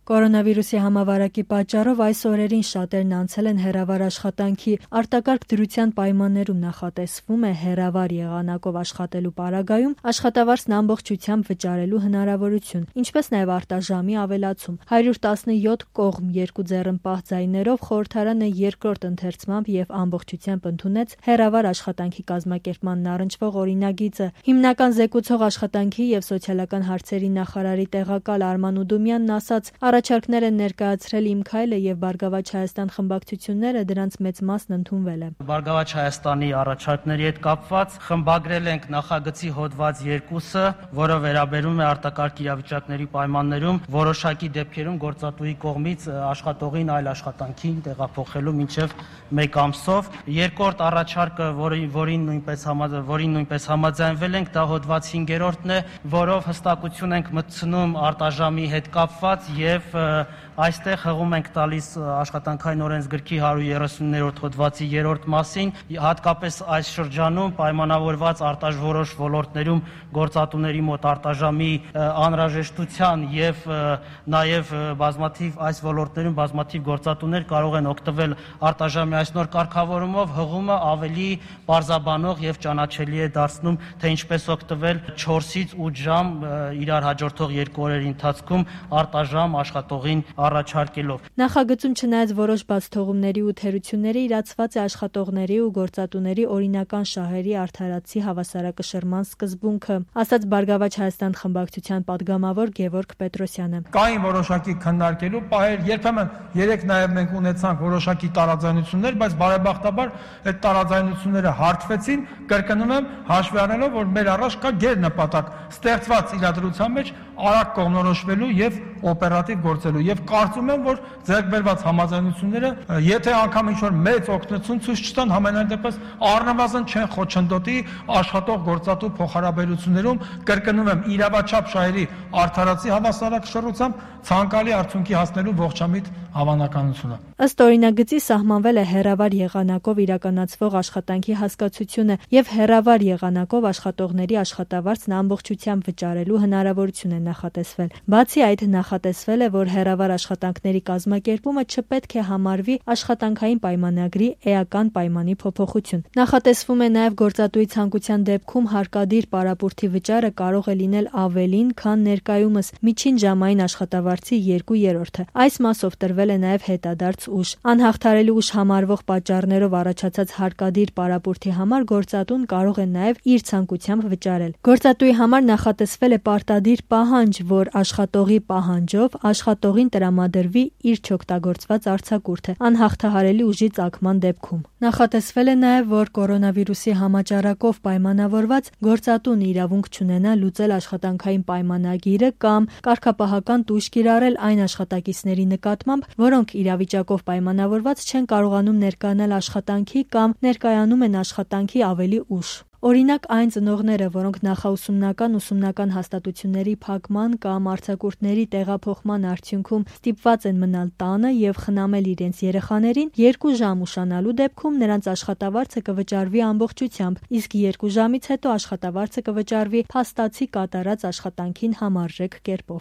Կորոնավիրուսի համավարակի պատճառով այս օրերին շատերն անցել են հեռավար աշխատանքի, արտակարգ դրության պայմաններում նախատեսվում է հեռավար եղանակով աշխատելու պարագայում աշխատավարձն ամբողջությամբ վճարելու հնարավորություն, ինչպես նաև արտաժամի ավելացում։ 117 կողմ երկու ձեռնպահ ձայներով խորհրդարանը երկրորդ ընթերցմամբ եւ ամբողջությամբ ընդունեց հեռավար աշխատանքի կազմակերպմանն առնչվող օրինագիծը։ Հիմնական զեկուցող աշխատանքի եւ սոցիալական հարցերի նախարարի տեղակալ Արման Ուդումյանն ասաց, առաջարկներ են ներկայացրել «Իմ քայլը» եւ «Բարգավաճ Հայաստան» խմբակցությունները, դրանց մեծ մասն ընդունվել է։ Բարգավաճ Հայաստանի առաջարկների հետ կապված խմբագրել ենք նախագծի հոդված 2-ը, որը վերաբերում է արտակարգ իրավիճակների պայմաններում որոշակի դեպքերում գործատուի կողմից աշխատողին այլ աշխատանքին տեղափոխելու մինչև 1 ամսով։ Երկրորդ առաջարկը, որին նույնպես համաձայնվել ենք, դա հոդված 5-րդն է, որով հստակություն ենք մտցնում արտաժամի հետ կապված եւ այստեղ հղում ենք տալիս աշխատանքային օրենսգրքի 130-րդ հոդվածի 3-րդ մասին, հատկապես այս շրջանում պայմանավորված որոշ ոլորտներում գործատուների մոտ արտաժամի անհրաժեշտության եւ նաեւ այս ոլորտներում բազմաթիվ գործատուներ կարող են օգտվել արտաժամի այս նոր կարգավորումով, հղումը ավելի պարզաբանող եւ ճանաչելի է դարձնում, թե ինչպես օգտվել 4-ից 8 ժամ իրար հաջորդող 2 օրերի ընթացքում արտաժամ աշխատողին առաջարկելով։ Նախագծում չնայած որոշ բացթողումների ու թերությունների իրացված է աշխատողների ու գործատուների օրինական շահերի արդարացի հավասարակշռման սկզբունքը, ասաց Բարգավաճ Հայաստան խմբակցության պատգամավոր Գևորգ Պետրոսյանը։ Կային որոշակի քննարկելու պահեր, երբեմն երեք նաև մենք ունեցանք որոշակի տարաձայնություններ, բայց բարեբախտաբար այդ տարաձայնությունները հարթվեցին, կրկնում եմ, հաշվի առնելով, որ մեր առաջ կա գերնպատակ ստեղծված իրադրության մեջ արագ կողմնորոշվելու եւ օպերատիվ գործելու եւ կարծում եմ, որ ձեռք բերված համաձայնությունները, եթե անգամ ինչ-որ մեծ օգնություն ցույց չտան, համենայն դեպս առնվազն չեն խոչընդոտի աշխատող գործատու փոխհարաբերություններում, կրկնում եմ, իրավաչափ շահերի արդարացի հավասարակշռությամբ ցանկալի արդյունքի հասնելու ողջամիտ հավանականությունը։ Ըստ օրինագծի սահմանվել է հեռավար եղանակով իրականացվող աշխատանքի հասկացությունը եւ հեռավար եղանակով աշխատողների աշխատավարձն ամբողջությամբ վճարելու հնարավորություն է նախատեսվել։ Բացի այդ, նախատեսվել է, որ հեռավար աշխատանքների կազմակերպումը չպետք է համարվի աշխատանքային պայմանագրի էական պայմանի փոփոխություն։ Նախատեսվում է նաեւ գործատուի ցանկության դեպքում հարկադիր պարապուրտի վճարը կարող է լինել ավելին, քան ներկայումս միջին ժամային աշխատավարձի 2/3-ը։ Այս մասով տրվել է նաեւ հետադարձ ուժ։ Անհաղթարելի ուժ համարվող պատճառներով առաջացած հարկադիր պարապուրտի համար գործատուն կարող է նաեւ իր ցանկությամբ վճարել։ Գործատուի համար նախատեսվել է պարտադիր պահանջ, որ աշխատողի պահանջով աշխատողին տրամադրվի իր չօգտագործված արձակուրդը անհաղթահարելի ուժի ծագման դեպքում։ Նախատեսվել է նաեւ, որ կորոնավիրուսի համաճարակով պայմանավորված գործատուն իրավունք չունենա լուծել աշխատանքային պայմանագիրը կամ կարգապահական տույժ կիրառել այն աշխատակիցների նկատմամբ, որոնք իրավիճակով պայմանավորված չեն կարողանում ներկայանալ աշխատանքի կամ ներկայանում են աշխատանքի ավելի ուշ։ Օրինակ, այն ծնողները, որոնք ուսումնական հաստատությունների փակման կամ արձակուրդների տեղափոխման արդյունքում ստիպված են մնալ տանը եւ խնամել իրենց երեխաներին, 2 ժամ ուշանալու դեպքում նրանց աշխատավարձը կվճարվի ամբողջությամբ, իսկ 2 ժամից հետո աշխատավարձը կվճարվի փաստացի կատարած աշխատանքին համարժեք կերպով։